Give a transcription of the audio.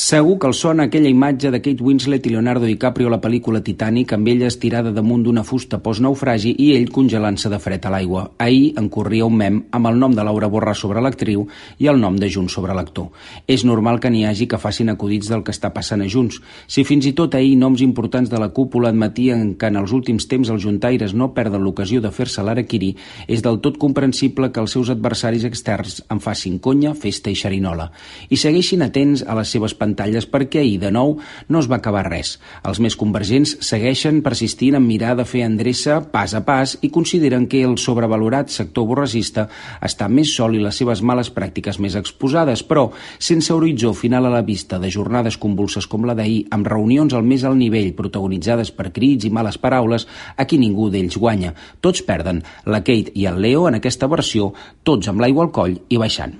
Segur que els sona aquella imatge de Kate Winslet i Leonardo DiCaprio a la pel·lícula Titanic, amb ella estirada damunt d'una fusta post-naufragi i ell congelant-se de fred a l'aigua. Ahir en corria un mem amb el nom de Laura Borràs sobre l'actriu i el nom de Junts sobre l'actor. És normal que n'hi hagi que facin acudits del que està passant a Junts. Si fins i tot ahir noms importants de la cúpula admetien que en els últims temps els juntaires no perden l'ocasió de fer-se l'araquirí, és del tot comprensible que els seus adversaris externs en facin conya, festa i xerinola. I segueixin atents a les seves pantalles perquè ahir, de nou, no es va acabar res. Els més convergents segueixen persistint en mirar de fer endreça pas a pas i consideren que el sobrevalorat sector borrasista està més sol i les seves males pràctiques més exposades, però sense horitzó final a la vista de jornades convulses com la d'ahir, amb reunions al més alt nivell protagonitzades per crits i males paraules, aquí ningú d'ells guanya. Tots perden. La Kate i el Leo en aquesta versió, tots amb l'aigua al coll i baixant.